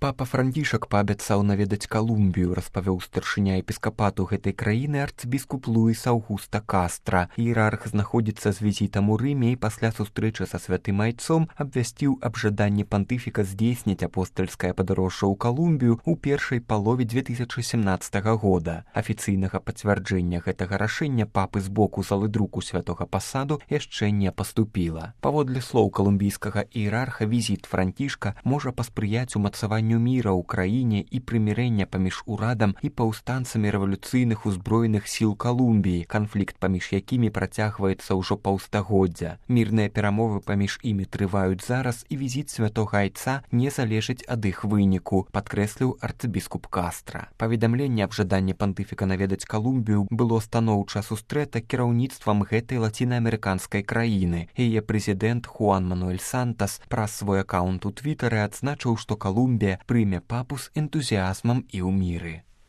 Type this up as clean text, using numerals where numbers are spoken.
Папа Францішак паабяцаў наведаць Калумбію, распавёў старшыня епіскапату гэтай краіны арцыбіскуп Луіс Аўгуста Кастра. Іерарх знаходзіцца з візітам у Рыме і пасля сустрэчы са святым айцом абвясціў аб жаданні пантыфіка здзейсніць апостальскае падарожжа ў Калумбію ў першай палове 2017 года. Афіцыйнага пацвярджэння гэтага рашэння папы з боку залы друку святога пасаду яшчэ не паступіла. Паводле слоў калумбійскага іерарха, візіт Францішка можа паспрыяць умацаванню міра ў краіне і прымірэння паміж урадам і паўстанцамі рэвалюцыйных узброеных сіл Калумбіі, канфлікт паміж якімі працягваецца ўжо паўстагоддзя. Мірныя перамовы паміж імі трываюць зараз, і візіт святога айца не залежыць ад іх выніку, падкрэсліў арцыбіскуп Кастра. Паведамленне аб жаданні пантыфіка наведаць Калумбію было станоўча сустрэта кіраўніцтвам гэтай лацінаамерыканскай краіны. Яе прэзідэнт Хуан Мануэль Сантас праз свой акаунт у Твітары адзначыў, што Калумбія прыме папу з энтузіазмам і ў міры.